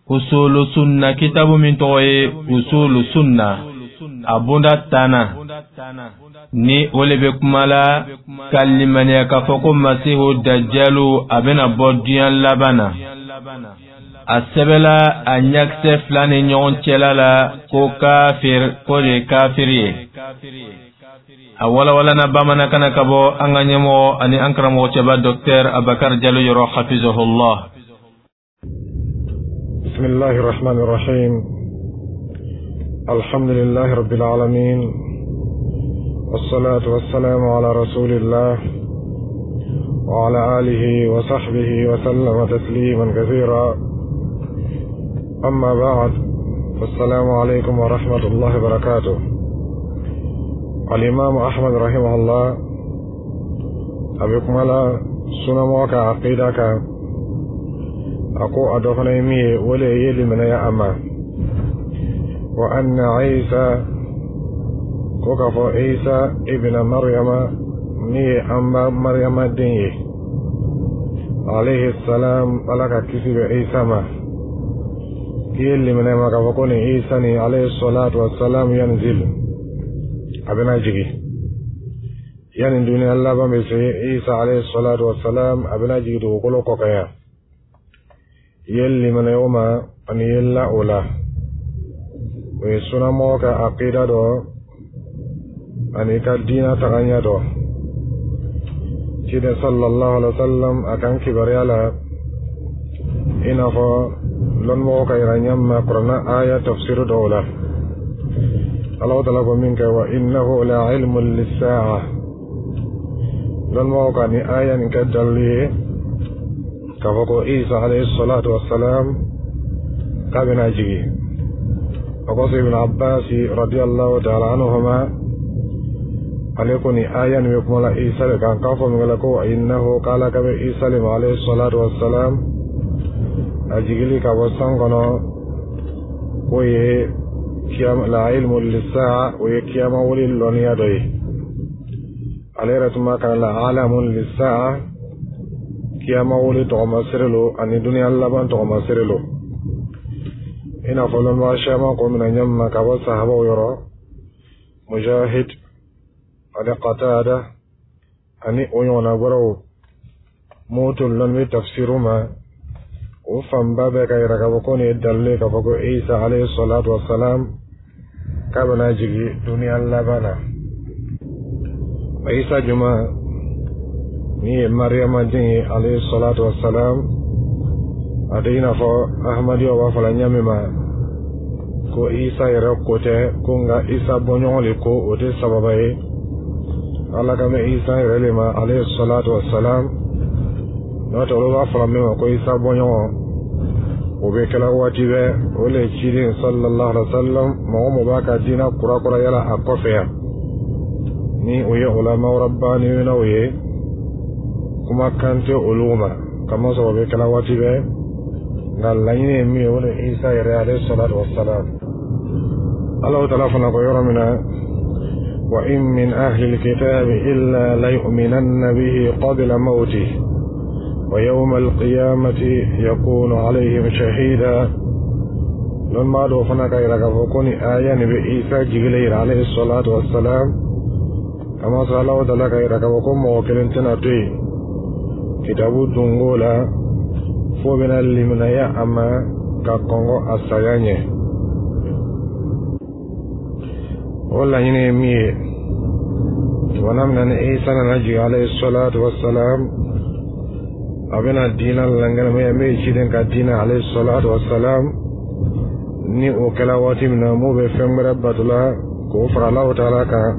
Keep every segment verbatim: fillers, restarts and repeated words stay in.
Usulu Sunna kitabu min tɔgɔ ye Usulu Sunna, a bonda tanna ni o le bɛ kuma la ka limaniya k'a fɔ ko Masihu Dajalu a bɛna bɔ diɲɛ laban na. A sɛbɛla a ɲakisɛ fila ni ɲɔgɔn cɛla la ko kafir, ko de ye kafiri ye. A walawalana bamanankan na ka bɔ an ka ɲɛmɔgɔ ani an karamɔgɔ cɛba Docteur Abakar Jalo yɔrɔ, hafizahullah. بسم الله الرحمن الرحيم. الحمد لله رب العالمين، والصلاة والسلام على رسول الله وعلى آله وصحبه وسلم تسليما كثيرا. أما بعد، فالسلام عليكم ورحمة الله وبركاته. الإمام أحمد رحمه الله a bɛ kuma la sunnamɔgɔ ka aqida kan. A ko a dɔ fana ye min ye, o le ye limanaya a ma wa anna Isa, ko k'a fɔ Isa ibna Maryama, min ye an ba Maryama den ye, alayhi salam, Ala ka kisi bɛ Isa ma, k'i ye limanaya ma k'a fɔ ko nin Isa nin, alayhi salatu wa salam, yanzil, a bɛna jigin yanni duniya laban bɛ se. Isa alayhi salatu wa salam, a bɛna jigin dugukolo kɔ kan yan. I ye limanaya o ma ani i ye la o la, o ye sunnamɔgɔ ka aqida dɔ ani ka diina tagaɲɛ dɔ. Ciden sallallahu alaihi wa sallam a kan kibaruya la, i n'a fɔ lɔnnimɔgɔw ka yira ɲɛ ma kuranna aya tafsir dɔw la, Ala taala ko min kɛ wa innahu la ilmun lissa'a. Lɔnnimɔgɔw ka ni aya nin kɛ dalilu ye k'a fɔ ko Isa alayhi salatu wassalam k'a bɛna jigin. O kɔfɛ, Ibn Abbas radiyallahu ta'ala anhuma, ale ko ni aya nin bɛ kuma la Isa de kan, k'a fɔ min kɛla ko innahu, k'Ala ka bɛ Isa le ma alayhi salatu wassalam, a jigili ka bɔ san kɔnɔ, k'o ye kiyama, la ilmu lissa'a, o ye kiyama wuli lɔnniya dɔ ye. Ale yɛrɛ tun b'a kalan la alamun lissa'a, kiyama wuli tɔgɔmasere lo ani duniya laban tɔgɔmasere lo. I n'a fɔ lɔnnibaga caman ko mina ɲɛ ma ka bɔ sahabaw yɔrɔ, Mujahid ani Qatada ani o ɲɔgɔnna wɛrɛw, mun tun lɔnni bɛ tafsiru ma, o fanba bɛɛ ka yira k'a fɔ ko nin ye dalilu ye k'a fɔ ko Isa alayhi salatu wasalam k'a bɛna jigin duniya laban na. Isa juma min ye Mariyama den ye alayhi salatu wasalam, a tɛ i n'a fɔ Ahmadiyyaw b'a fɔ la ɲɛ min ma ko Isa yɛrɛ ko tɛ ko, nka Isa bɔɲɔgɔn le ko, o tɛ sababa ye. Ala ka mɛn Isa yɛrɛ le ma alayhi salatu wasalam. N'o tɛ, olu b'a fɔla min ma ko Isa bɔɲɔgɔn, o bɛ kɛla waati bɛɛ. O le ciden sallallahu alaihi wa sallam, mɔgɔ mɔgɔ b'a ka diinɛ kurakurayala a kɔfɛ yan, ni o ye ulama rabbaniyunaw ye, kumakan tɛ olu ma, kamasɔrɔ o bɛ kɛla waati bɛɛ. Nka laɲini ye min ye, o de Isa yɛrɛ alayhi salatu wasalam. Alahu taala fana ko yɔrɔ min na wa in min ahli alkitabi illa layu'minanna bihi qabla mawtihi wa yawma alqiyamati yakunu alayhim shahida. Lɔnbaa dɔw fana ka yira k'a fɔ ko ni aya nin bɛ Isa jigilen yira alayhi salatu wasalam, kamasɔrɔ Alahu taala ka yira k'a fɔ ko mɔgɔ kelen tɛna to yen kitabu dungo la fo bɛna liminaya a ma ka kɔngɔ a saya ɲɛ. O laɲini ye min ye, tumana min na ni Isa nana jigin alayhi salatu wasalam, a bɛna diinɛ lankɛnɛmaya min ye ciden ka diinɛ alayhi salatu wasalam. Ni o kɛla waati min na, mun bɛ fɛn wɛrɛ batola k'o fara Alahu taala kan,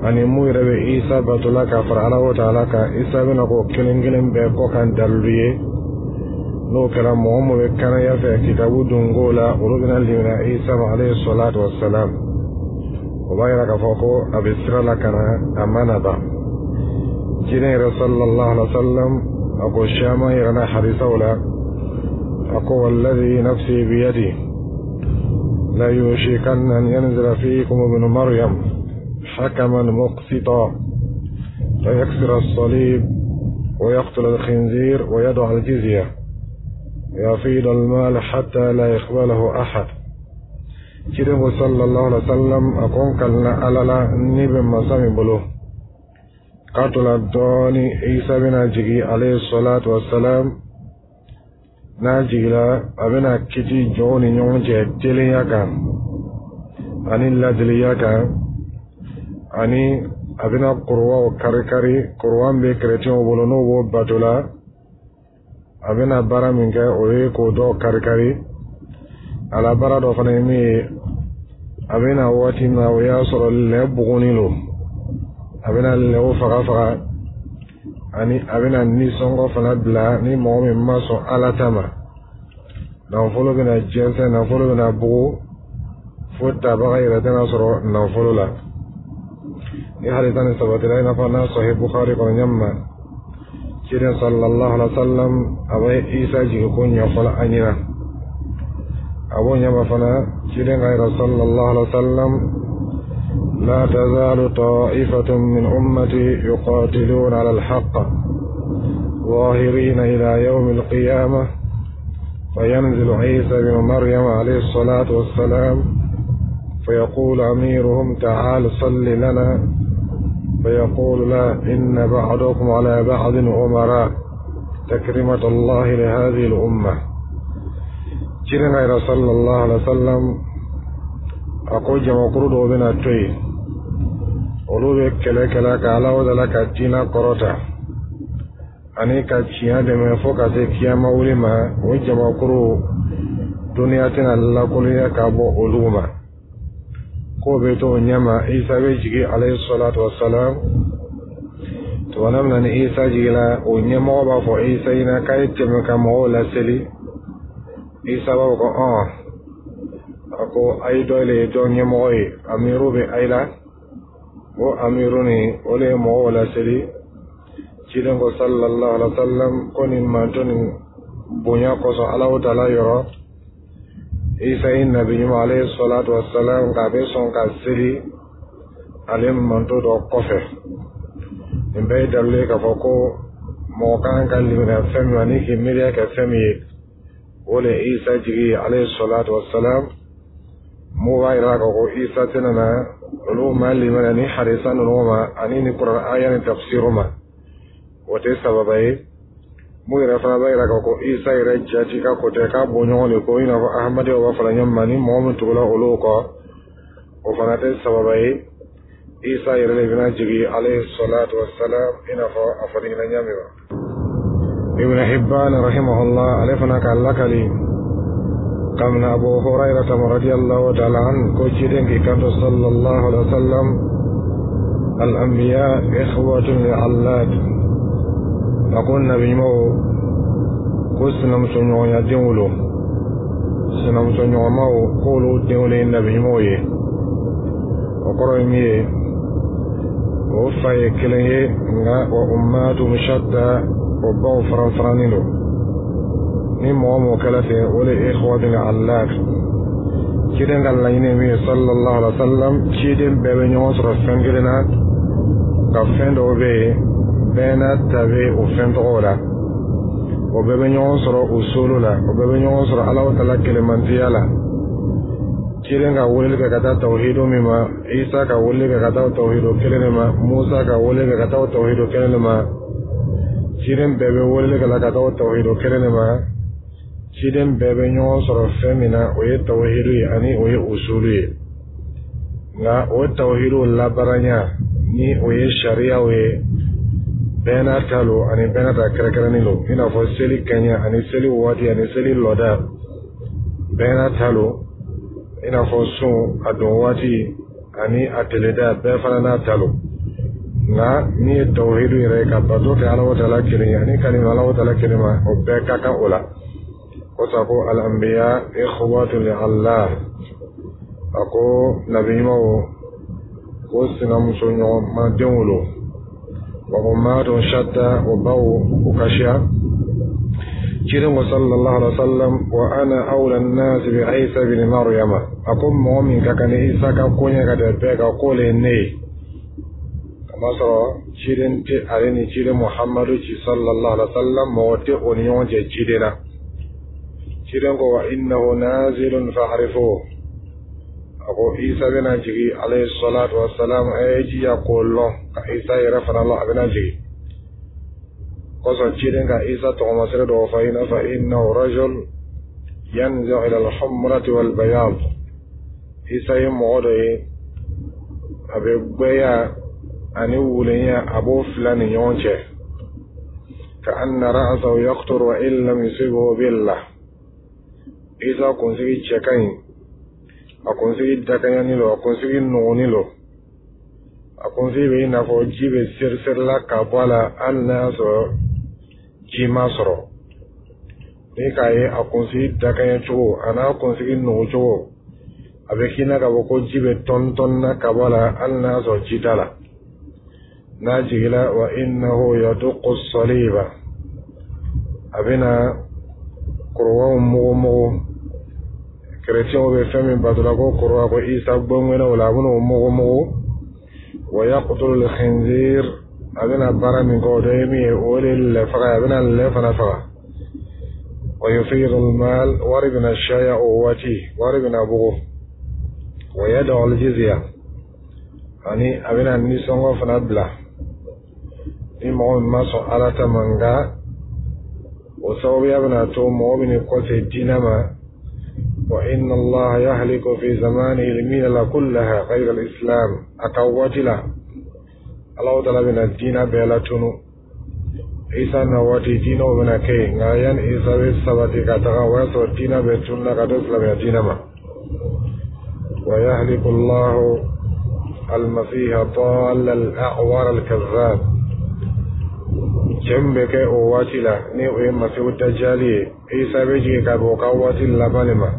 ani mun yɛrɛ bɛ Isa batola ka fara Alahu taala kan, Isa bɛna k'o kelen kelen bɛɛ kɔ kan dalilu ye. N'o kɛra, mɔgɔ min bɛ kanaya fɛ kitabu dunko la, olu bɛna limaniya Isa ma alayhi salatu wasalam. O b'a yira k'a fɔ ko a bɛ sira la ka na, a ma na ban. Ciden yɛrɛ sallallahu alaihi wa sallam, a ko caman yɛrɛ na hadisaw la, a ko walladhi nafsi biyadi la yushikanna an yanzila fiikum ibnu Maryam حكما مقسطا فيكسر الصليب ويقتل الخنزير ويضع الجزية. يفيض المال حتى لا يقبله أحد. Ciden ko sallallahu alaihi wasallam, a ko n kalila Ala la, ni bɛ masa min bolo, k'a tola dɔɔni Isa bɛna jigi alayhi salatu wasalam. N'a jigila, a bɛna kiti jɔnw ni ɲɔgɔn cɛ teliya kan ani ladiliya kan, ani a bɛna kuruwaw kari-kari. Kuruwa bɛ kerecɛnw bolo, n'o b'o bato la, a bɛna baara min kɛ, o ye k'o dɔw kari-kari. A la baara dɔ fana ye min ye, a bɛna waati min na, o y'a sɔrɔ lɛ bugunin don, a bɛna lɛw faga faga, ani a bɛna nisɔngɔ fana bila ni mɔgɔ min ma sɔn Ala ta ma. Nafolo bɛna jɛnsɛn, nafolo bɛna bugu fo tabaga yɛrɛ tɛna sɔrɔ nafolo la. Ni hadisa nin sabatira, i n'a fɔ n'a Sahih Bukhari kɔnɔ ɲɛ ma, ciden sallallahu alaihi wa sallam a bɛ Isa jigi ko ɲɛfɔla an ɲɛna. A b'o ɲɛma fana, ciden ka yɛrɛ sallallahu alaihi wa sallam: لا تزال طائفة من أمتي يقاتلون على الحق ظاهرين إلى يوم القيامة، فينزل عيسى بن مريم عليه الصلاة والسلام، فيقول أميرهم: تعال صل لنا، فيقول: لا، إن بعضكم على بعض أمراء، تكرمة الله لهذه الأمة. Ciden ka yɛrɛ sallallahu alaihi wa sallam a ko jamakuru dɔw bɛna to yen, olu bɛ kɛlɛ kɛlɛ ka Ala wala ka diinɛ kɔrɔta ani ka tiɲɛ dɛmɛ fo ka se kiyama wuli ma. O jamakuru, duniya tɛna lakolonya ka bɔ olu ma. K'o bɛ to o ɲɛma, Isa bɛ jigin alayhi salatu wa salam. Tuma min na ni Isa jigila, o ɲɛmɔgɔ b'a fɔ Isa ɲɛna k'a ye tɛmɛ ka mɔgɔw laseli. Isa b'a fɔ ko ɔn, a ko a ye dɔ le ye dɔ ɲɛmɔgɔ ye, amiru bɛ a la, o amiru nin, o de ye mɔgɔw laseli. Ciden ko sallallahu alaihi wa sallam ko nin manto nin bonya kosɔn Alahu taala yɔrɔ, Isa ye nabi ɲuman alayhi salatu wa salam, k'a bɛ sɔn ka seli ale manto dɔ kɔfɛ. Nin bɛɛ ye dalilu ye k'a fɔ ko mɔgɔ kan ka limaniya fɛn min ma ni k'i miiriya kɛ fɛn min ye, o de ye Isa jigi ye alayhi salatu wa salam. Mun b'a yira k'a fɔ ko Isa tɛna na, olu ma limaniya ni hadisa ninnu ma ani ni kuranɛ aya ni tafsiru ma, o tɛ sababa ye. Mun yɛrɛ fana b'a yira k'a fɔ ko Isa yɛrɛ jati ka ko tɛ k'a bɔ ɲɔgɔn de ko, i n'a fɔ Ahmadiyyaw b'a fɔla ɲɔgɔn ma, ni mɔgɔ min tugula olu kɔ, o fana tɛ sababa ye. Isa yɛrɛ de bɛna jigin alayhi salatu wa salam, i n'a fɔ a fɔra ɲɛna ɲa min ma. Ibn Hibban rahimahullah, ale fana k'a lakali kamina Abu Hurairata radiyallahu ta'ala an, ko ciden k'i kanto sallallahu alaihi wa sallam: الأنبياء إخوة لعلات. A ko nabi ɲumanw ko sinamuso ɲɔgɔnya denw lo, sinamuso ɲɔgɔnmaw k'olu denw de ye nabi ɲumanw ye. O kɔrɔ ye min ye, o fa ye kelen ye, nka wa ummatuhum shatta, o baw faran farannen don. Ni mɔgɔ mɔgɔ kɛra ten, o de ye ikhwatun allat. Ciden ka laɲini ye min ye sallallahu alaihi wa sallam, ciden bɛɛ bɛ ɲɔgɔn sɔrɔ fɛn kelen na, nka fɛn dɔw bɛ yen, bɛɛ n'a ta bɛ o fɛn tɔgɔw la. O bɛɛ bɛ ɲɔgɔn sɔrɔ usulu la, o bɛɛ bɛ ɲɔgɔn sɔrɔ Ala taala kelenmantiya la. Ciden ka weleli kɛ ka taa tawhidu min ma, Isa ka weleli kɛ ka taa tawhidu kelen de ma, Musa ka weleli kɛ ka taa tawhidu kelen de ma, ciden bɛɛ bɛ weleli kɛ la ka taa tawhidu kelen de ma. Ciden bɛɛ bɛ ɲɔgɔn sɔrɔ fɛn min na, o ye tawhidu ye ani o ye usulu ye. Nka o tawhidu labaaranya ni o ye sariyaw ye, bɛɛ n'a ta lo ani bɛɛ n'a ta kɛrɛnkɛrɛnnen don, i n'a fɔ seli kɛɲɛ ani seli waati ani seli lɔda, bɛɛ n'a ta lo, i n'a fɔ sun a don waati ani a teleda, bɛɛ fana n'a ta lo. Nka min ye tawhidu yɛrɛ ye, ka bato kɛ Ala taala kelen ye ani ka nin Ala taala kelen ma, o bɛɛ ka kan o la. O sa ko الأنبياء إخوة لعلات, a ko nabi ɲumanw ko sinamuso ɲɔgɔn ma denw lo, wa ummatun shatta, o baw u ka siya. Ciden ko sallallahu alaihi wa sallam: وأنا أولى الناس بعيسى بن مريم. A ko mɔgɔ min ka kan ni Isa ka koɲɛ ka tɛmɛ bɛɛ kan, k'o le ye ne ye, kamasɔrɔ ciden tɛ ale ni ciden Muhammadu ci sallallahu alaihi wa sallam, mɔgɔ tɛ o ni ɲɔgɔn cɛ ciden na. Ciden ko wa innahu nazilun fa'rifuhu. A ko Isa bɛna jigi alayhi salatu wassalam, a ye jija k'o lɔn, ka Isa yɛrɛ fana lɔn, a bɛna jigi kosɔn. Ciden ka Isa tɔgɔmasere dɔw fɔ, i n'a fɔ innahu rajul yanzi'u ila al-humrati wal bayad. Isa ye mɔgɔ dɔ ye, a bɛ gbɛya ani wulenya, a b'o fila ni ɲɔgɔn cɛ. Ka anna ra'sahu yaqtur wa in lam yusibhu billah. Isa kunsigi cɛ ka ɲi, a kunsigi dakaɲani lo, a kunsigi nɔgɔni lo, a kunsigi bɛ i n'a fɔ ji bɛ seri-serila ka bɔ a la, hali n'a y'a sɔrɔ ji ma sɔrɔ. Ni k'a ye a kunsigi dakaɲɛ cogo a n'a kunsigi nugu cogo, a bɛ k'i n'a ka fɔ ko ji bɛ tɔni tɔni na ka bɔ a la, hali n'a y'a sɔrɔ ji t'a la. N'a jigila, wa innahu yaduqqu saliba, a bɛna korowaw mugu mugu. Kerecɛnw bɛ fɛn min batola ko korowa, ko Isa gbɔngbɛnna o la, a bɛna o mugu mugu. Wa yaqtulu al-khinzir, a bɛna baara min kɛ, o dɔ ye min ye, o de ye lɛ faga ye, a bɛna lɛ fana faga. Wa yufidu al-mal, wari bɛna caya o waati, wari bɛna bugu. Wa yad'u al-jizya, ani a bɛna nisɔngɔ fana bila ni mɔgɔ min ma sɔn Ala ta ma. Nka o sababuya bɛna to mɔgɔ bɛ ni kɔse diinɛ ma. Wa inna Allaha yahliku fi zamanihi al-milala kullaha ghayra al-islam. A ka waati la, Alahu taala bɛna diinɛ bɛɛ latunu. Isa na waati, diinɛw bɛna kɛ yen, nka yanni Isa bɛ sabati ka taga, o y'a sɔrɔ diinɛ bɛɛ tununa ka to silamɛya diinɛ ma. Wa yahliku Allahu al-masiha ad-dalla al-a'war al-kazzab. Cɛ min bɛ kɛ o waati la, ni o ye Masihu Dajali ye, Isa bɛ jigin ka bɔ o ka waati laban de ma.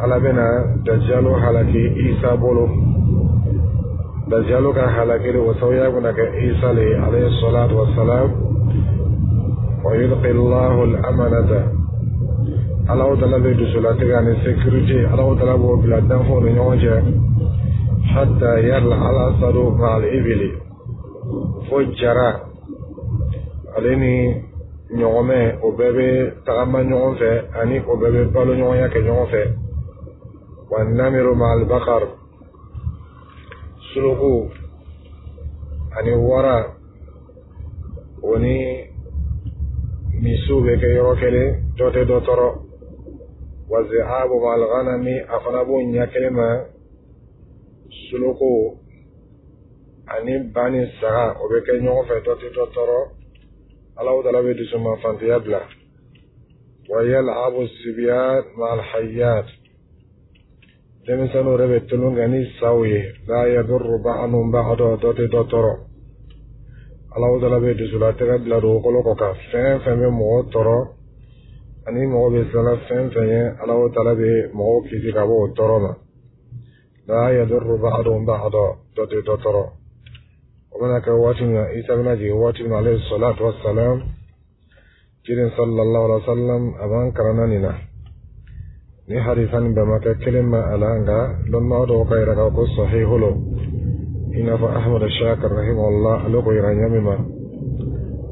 Ala bɛna Dajalu halaki Isa bolo. Dajalu ka halakili, o sababuya bɛna kɛ Isa le ye alayhi salatu wassalam. Wa yulqi Allahu al-amanata, Alahu taala bɛ dusulatigɛ ani sécurité, Alahu taala b'o bila danfɛnw ni ɲɔgɔn cɛ. Hatta yar'a al-asadu ma'al ibili, fo jara ale ni ɲɔgɔmɛ, o bɛɛ bɛ tagama ɲɔgɔn fɛ, ani o bɛɛ bɛ balo ɲɔgɔnya kɛ ɲɔgɔn fɛ. Wa namiru ma'al bakar, suluku ani wara, o ni misiw bɛ kɛ yɔrɔ kelen, dɔ tɛ dɔ tɔɔrɔ. Wa zi'abu ma'al ghanami, a fana b'o ɲɛ kelen ma. Suluku ani ba ni saga, o bɛ kɛ ɲɔgɔn fɛ, dɔ tɛ dɔ tɔɔrɔ. Alahu taala bɛ dusuma fantiya bila. Wa yal'abu sibyan ma'al hayyat, denmisɛnninw yɛrɛ bɛ tulon kɛ ni saw ye. La yadurru ba'duhum ba'da, dɔ tɛ dɔ tɔɔrɔ. Alahu taala bɛ dusulatigɛ bila dugukolo kɔ kan. Fɛn fɛn bɛ mɔgɔ tɔɔrɔ ani mɔgɔ bɛ siran fɛn fɛn ye, Alahu taala bɛ mɔgɔw kisi ka bɔ o tɔɔrɔ ma. La yadurru ba'duhum ba'da, dɔ tɛ dɔ tɔɔrɔ. O bɛna kɛ waati min na, Isa bɛna jigin waati min na alayhi salatu wassalam, ciden sallallahu alaihi wa sallam a b'an karanna nin na. Ni hadisa nin bɛɛ ma kɛ kelen ma a la, nka dɔnnibaga dɔw ka yira k'a ko sahihu lo, i n'a fɔ Ahmad Shakir rahimahullah, ale ko yira ɲɛ min ma,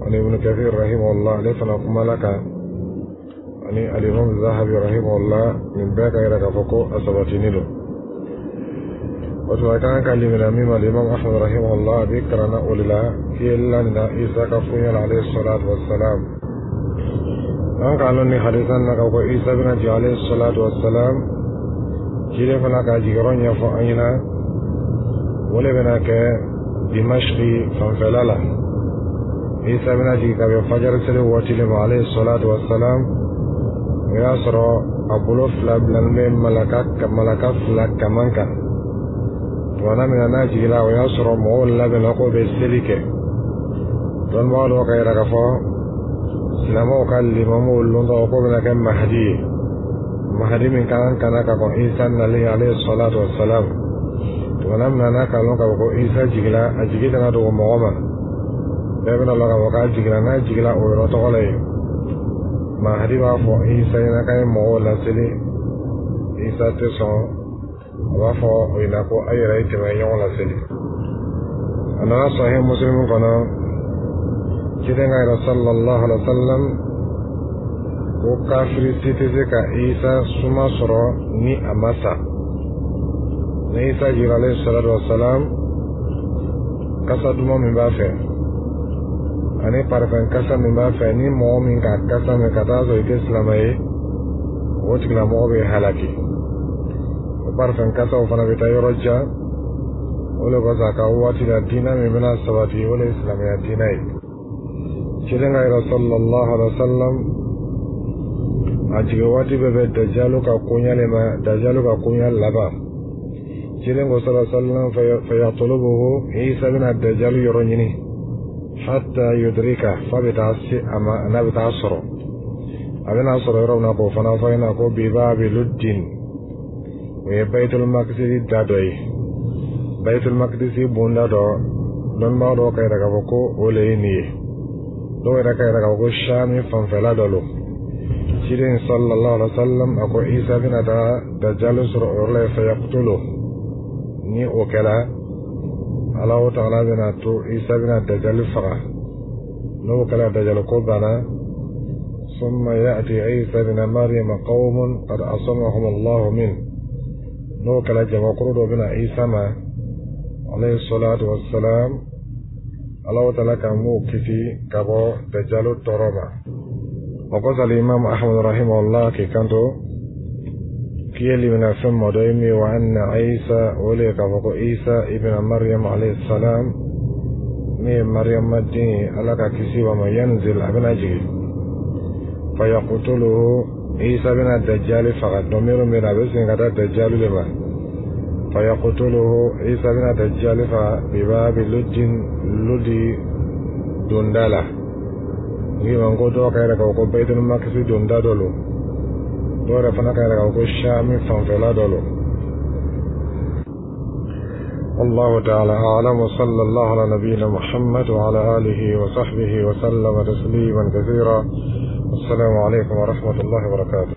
ani Ibn Kathir rahimahullah, ale fana kumala kan, ani alimam Zahabi rahimahullah, nin bɛɛ ka yira k'a fɔ ko a sabatini don. O tuma kan ka limina min ma, alimam Ahmad rahimahullah a bɛ karanna o de la k'i ye la nin na Isa ka fuɲɛ la alayhi salatu wassalam. An k'a lɔn ni hadisa na k'a ko Isa bɛna jigin alayhi salatu wassalam, ciden fana k'a jigiyɔrɔ ɲɛfɔ an ɲɛna, o de bɛna kɛ Dimashki fanfɛla la. Isa bɛna jigin ka bɛn fajari seli waati de ma alayhi salatu wassalam. O y'a sɔrɔ a bolo fila bilalen bɛ malaka malaka fila kaman kan. Tuma min na n'a jigila, o y'a sɔrɔ mɔgɔw labɛnna k'o bɛ seli kɛ. Dɔnnibaga dɔw ka yira k'a fɔ silamɛw ka limamuw lontɔ k'o bɛna kɛ Mahadi ye, Mahadi min kan ka na ka kɔn Isa nalen alayhi salatu wassalam. Tuma min na n'a k'a lɔn k'a fɔ ko Isa jigila, a jigi tɛna dogo mɔgɔ ma, bɛɛ bɛna lɔn k'a fɔ k'a jigila. N'a jigila o yɔrɔ tɔgɔ la yen, Mahadi b'a fɔ Isa ɲɛna k'a ye mɔgɔw laseli. Isa tɛ sɔn, a b'a fɔ o ɲɛna ko a yɛrɛ ye tɛmɛ ɲɔgɔn laseli. A nana Sahih Muslim kɔnɔ, ciden ka yɛrɛ sallallahu alaihi wa sallam ko Ko kafiri si tɛ se ka Isa suma sɔrɔ ni a ma sa. Ni Isa jiginna, alayhi salatu wasalam, kasa duman min b'a fɛ ani parfum kasa min b'a fɛ, ni mɔgɔ min ka kasa min ka taa sɔrɔ i tɛ silamɛ ye, o tigilamɔgɔ bɛ halaki. O parfum kasaw fana bɛ taa yɔrɔ jan. O le kosɔn, a ka waati la, diinɛ min bɛna sabati, o le ye silamɛya diinɛ ye. Ciden ka yɛrɛ, sallallahu alaihi wa sallam, a jigin waati bɛɛ bɛ Dajalu ka koɲa le ma, Dajalu ka koɲa laban. Ciden ko, sallallahu alaihi wa sallam, fayatulubuhu, Isa bɛna Dajalu yɔrɔ ɲini, hatta yudrika, f'a bɛ taa se a ma, n'a bɛ taa sɔrɔ, a bɛna sɔrɔ yɔrɔ min na, k'o fana fɔ ɲɛna ko bibabi Luddin, o ye Bayitul Makisisi da dɔ ye, Bayitul Makisisi bonda dɔ. Dɔnnibaa dɔw ka yɛrɛ k'a fɔ ko o le ye nin ye, dɔw yɛrɛ ka yɛrɛ k'a fɔ ko Sami fanfɛla dɔ lo. Ciden sallallahu alaihi wa sallam a ko Isa bɛna taa Dajalu sɔrɔ o yɔrɔ la, fayaqtulu. Ni o kɛra, Alahu Taala bɛna to Isa bɛna Dajali faga. N'o kɛra, Dajali ko banna. ثم يأتي عيسى بن مريم قوم قد عصمهم الله منه. N'o kɛra, jamakuru dɔ bɛna Isa ma, alayhi salatu wassalam, Alahu Taala ka m'o kisi ka bɔ Dajalu tɔɔrɔ ma. O kɔsɔn, Imam Ahmad rahimahullah k'i kanto k'i ye limina fɛn mɔ dɔ ye min ye, wa anna Isa, o le ye k'a fɔ ko Isa ibn Maryam alayhi salam, min ye Maryama den ye, Ala ka kisi b'a ma, yanzil, a bɛna jigin, fayaqtuluhu, Isa bɛna Dajjali faga. Dɔmiru min na, a bɛ segin ka taa Dajjali de ma. Fayaqtuluhu, Isa bɛna Dajjali faga, bibabi Luddin, Ludi donda la. N'i ma ko dɔw ka yɛrɛ k'a fɔ ko Bayitul Makisi donda dɔ lo, dɔw yɛrɛ fana ka yɛrɛ k'a fɔ ko Shami fanfɛla dɔ lo. والله تعالى أعلم، وصلى الله على نبينا محمد وعلى آله وصحبه وسلم تسليما كثيرا. السلام عليكم ورحمة الله وبركاته.